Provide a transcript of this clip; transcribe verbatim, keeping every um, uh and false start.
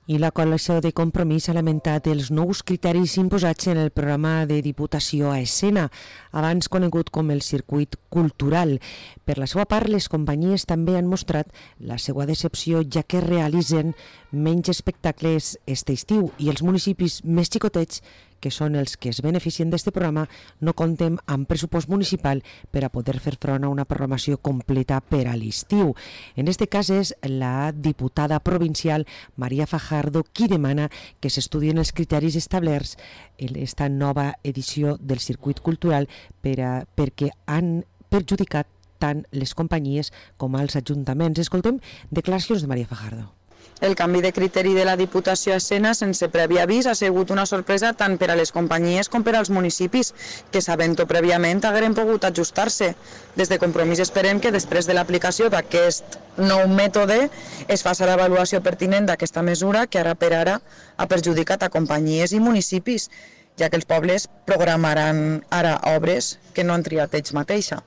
I la coalició de Compromís ha lamentat els nous criteris imposats en el programa de Diputació a Escena, abans conegut com el circuit cultural. Per la seva part, les companyies també han mostrat la seva decepció, ja que realitzen menys espectacles este estiu i els municipis més xicotets, que són els que es beneficien d'aquest programa, no compten amb pressupost municipal per a poder fer front a una programació completa per a l'estiu. En aquest cas és la diputada provincial Maria Fajardo qui demana que s'estudien els criteris establerts en aquesta nova edició del circuit cultural per a, perquè han perjudicat tant les companyies com els ajuntaments. Escoltem declaracions de Maria Fajardo. El canvi de criteri de la Diputació a Escena sense previ avís ha sigut una sorpresa tant per a les companyies com per als municipis, que sabent-ho prèviament hagueren pogut ajustar-se. Des de Compromís esperem que després de l'aplicació d'aquest nou mètode es faci l'avaluació pertinent d'aquesta mesura que ara per ara ha perjudicat a companyies i municipis, ja que els pobles programaran ara obres que no han triat ells mateixa.